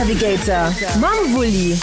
Navigator mam Wulli.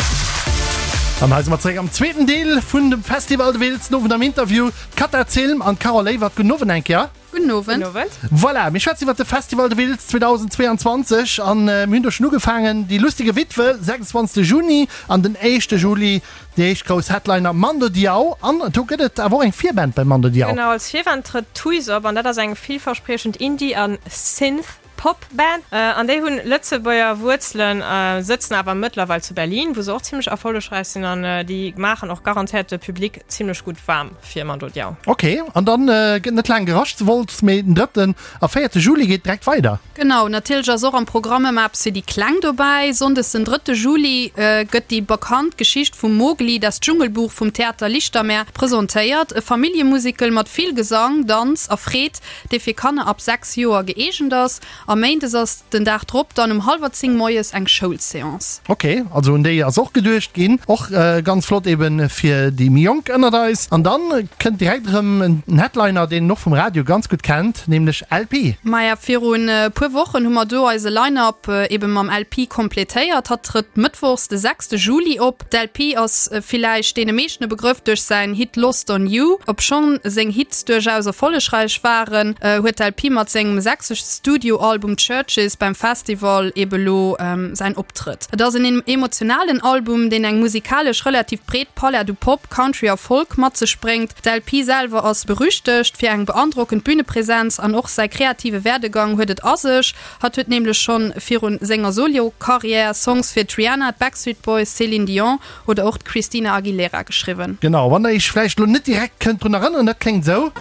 An hei si mer zeréck am zweeten Deel vun dem Festival de Wiltz. Den Owend am Interview d'Cata Zilm an d'Carole Ewert. Gudden Owend eng Kéier. Gudden Owend. Gudden Owend. Voilà, mir schwätzen iwwert de Festival de Wiltz 2022 an mir hunn do schonn ugefaangen. Die lustige Witwe, 26 Juni an den éischte Juli déi éischt grouss Headliner Mando Diao. An do gëtt et awer och eng Virband beim Mando Diao. Genau, als Virband trëtt Tuys op an dat ass eng villverspriechend Indie a Synth. Pop Band an déi hunn Lëtzebuerger Wuerzelen, sëtzen awer mëttlerweil zu Berlin, wou se och zimlech erfollegräich sinn an déi maachen och garantéiert de Public zimlech gutt waarm fir Mando Diao. Ok, an dann gëtt net laang gerascht zu Wolz, mee den drëtten a véierte Juli geet direkt weider. Genau, natierlech ass och am Programm ëmmer eppes fir déi Kleng dobäi. Sonndes den drëtte Juli gëtt déi bekannt Geschicht vum Mowgli, Das Dschungelbuch vum Theater Lichtermeer presentéiert. E Familljemusical mat vill Gesang, Danz a Freed. dee fir Kanner ab 6 Joer gëeegent ass. A méindes ass den Dag drop dann um hallwer 10 moies eng Schoulseance. Ok, also un déi ass och geduecht ginn. Och ganz flott eben fir déi méi Jonk ënnert eis. An dann kënnt direkt erëm en Headliner, deen een och vum Radio ganz gutt kennt, nämlech LP. Maja, virun e puer Wochen hu mer do eise Line-Up eben mam LP kompletéiert. Hatt trëtt mëttwochs de 6 Juli op. D'LP ass villäicht deene meeschten e Begrëff duerch säin Hit Lost on You. Obschonn seng Hits duerchaus erfollegräich waren, huet d'LP mat sengem sechste Studioalbum Churches beim Festival ebe lo säin Optrëtt. Et ass en emotionalen Album, deen eng musikalesch relativ breet Palett u Pop, Country a Folk mat sech bréngt. D'LP selwer ass berüchtegt fir eng beandrockend Bünepresenz an och säi kreative Werdegang huet et a sech. Hatt huet nämlech schonn virun senger Solo-Karriär Songs fir d'Rihanna, d'Backstreet Boys, Céline Dion oder och d'Christina Aguilera geschriwwen. Genau, wann der iech vläicht elo net direkt kënnt drun erënneren, dat kléngt esou.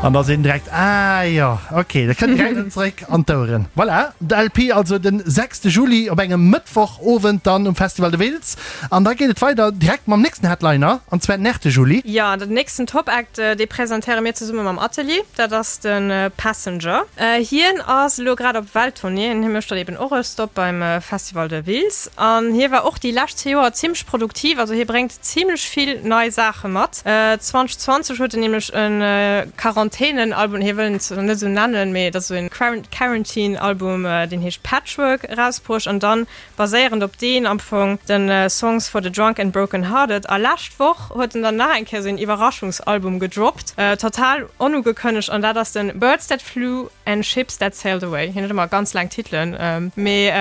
An da seet en direkt, Ah jo, ok, dat kënnt direkt erëm zeréck an d'Oueren. Voilà, de LP also den 6 Juli op engem Mëttwochowend dann um Festival de Wiltz. An da geet et weider direkt mam nächsten Headliner, an zwar den 8 Juli. Jo, den nächsten Top-Act, dee presentéiere mir zesumme mam Atelier, dat ass de Passenger. Hien ass elo grad op Welttournée, hie mécht dann eben och e Stop beim Festival de Wiltz. An hie war och déi lescht zwee Joer zimmlech produktiv, also hie bréngt zimmlech vill nei Saache mat. 2020 huet en nämlech e Quarantänen-Album, hie wëll en zwar net esou nennen, mee et ass esou e Quarantine-Album, deen heescht Patchwork, erausbruecht. An dann Baséierend op deen am Fong den Songs for the Drunk and Broken Hearted. A lescht Woch huet en dann nach eng Kéier sou een Iwwerraschungsalbum gedroppt, total onugekënnegt, an dat ass den Birds That Flew and Ships That Sailed Away. Hien huet ëmmer ganz laang Titelen, mee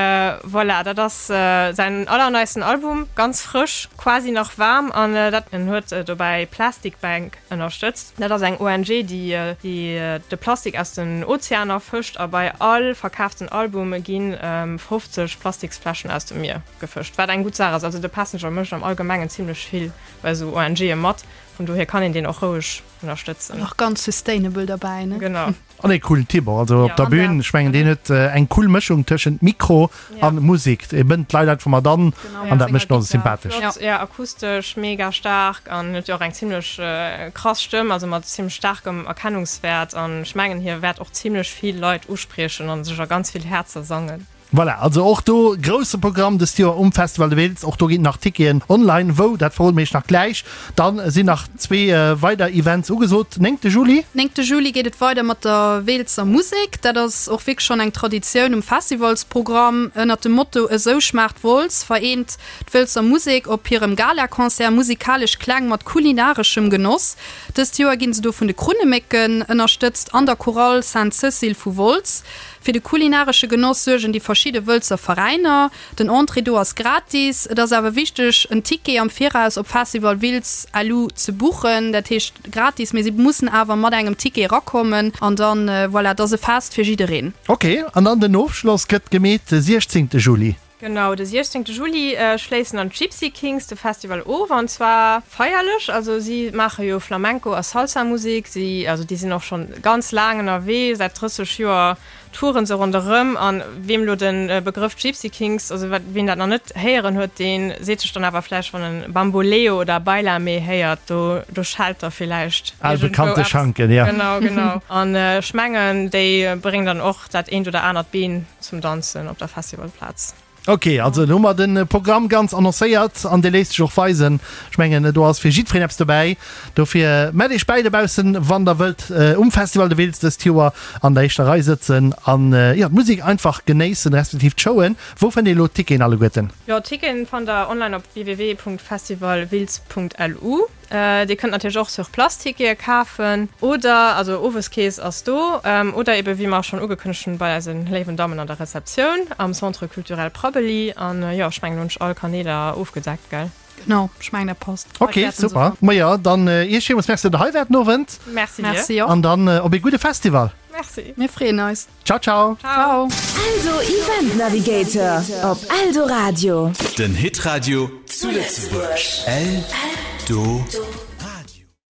voilà, dat ass säin allerneisten Album, ganz frësch, quasi nach waarm, an dat en huet dobäi Plastic Bank ënnerstëtzt. Dat ass eng ONG, déi de Plastik aus den Ozeaner fëscht a bei all verkaaften Album gi 50 Plastiksfläschen aus dem Mier gefëscht, wat eng gutt Saach ass. Also de Passenger mécht am Allgemengen zimmlech vill bei esou ONGe mat, vun dohier kann een deen och roueg ënnerstëtzen. An och ganz sustainable derbäi, ne? Genau. An ee coolen Typ och, also op der Bühn, ech mengen deen huet eng cool Mëschung tëschent Mikro an Musik, e bënnt d'Leit einfach mat an an dat mécht en och sympathesch. Flott, jo, akustesch mega staark an huet jo och eng zimlech krass Stëmm, also mat zimlech staarkem Erkennungswäert an ech mengen hie wäert och zimlech vill Leit uspriechen an sech a ganz vill Häerzer sangen. Voilà, also och do grousse Programm dëst Joer um Festival de Wiltz. Och do ginn nach Ticketen online. Wou, dat verrode mir iech nach gläich. Dann sinn nach zwee weider Events ugesot. Néngte Juli. Néngte Juli geet et weider mat der Weeltzer Musek. Dat ass och wierklech schonn eng Traditioun um Festivalsprogramm. Ënnert dem Motto Esou schmaacht Wolz vereent d'Wëlzer Musek op hirem Galaconcert musikalesch Kläng mat kulinareschem Genoss. Dëst Joer ginn se do vun de Krunnemécken ënnerstëtzt an der Chorale Sainte-Cécile vu Wolz. Fir de kulinaresche Genoss suergen déi verschidde Wëlzer Veräiner. Den Entrée do ass gratis. Et ass awer wichteg en Ticket am Viraus op Festival Wiltz LU ze buchen. Dat heescht gratis, mee si mussen awer mat engem Ticket erakommen an dann, voilà, et ass e Fest fir jiddereen. Ok, an dann den Ofschloss gëtt gemeet de 16 Juli. Genau, de 16 Juli schléissen dann d'Gipsy Kings de Festival of an zwar feierlech. Also si maache jo Flamenco a Salsa Musek, si also déi sinn och schonn ganz laang ënnerwee, säit 30 Joer touren se ronderëm. An weem elo de Begrëff Gipsy Kings, also wat ween dat nach net héieren huet, dee seet sech dann awer vläicht wann en Bamboleo oder Bailame héiert, do do schellt da villäicht Al iergendwou bekannte eppes. Schanken, ja. Genau, genau. An ech mengen déi bréngen dann och dat eent oder anert Been zum Danzen op der Festivalplaz. Ok, also elo hu mer de Programm ganz annoncéiert an dee léisst sech och weisen. Ech mengen, do ass fir jiddwereen eppes dobäi. Dofir mellt iech bäi dobaussen, wann der wëllt um Festival de Wiltz dëst Joer an der éischter Rei sëtzen an jo, d'Musek einfach genéissen, respektiv d'Showen. Wou fënnt een elo d'Ticketen alleguerten? Jo, d'Ticketen fannt der online op www.festivalwiltz.lu. Dir kënnt natierlech och sur place Tickete kafen oder, also Oweskeess ass do, oder ebe wéi mer schonn ugekënnegt hunn, bei eise léiwen Dammen an der Rezeptioun am Centre Culturel Prabbeli. An jo, ech mengen, elo hunn ech all Kaneeler ofgedeckt, gell? Genau, ech mengen dat passt. Ok, super. Majo, dann Iech villmools Merci, datt der hei waart den Owend. Merci dir. Merci och. An dann op ee gudde Festival. Merci. Mir freeën eis. Ciao, ciao. Ciao. Eldo Event Navigator op Eldoradio. Den Hitradio zu Lëtzebuerg. Eldo.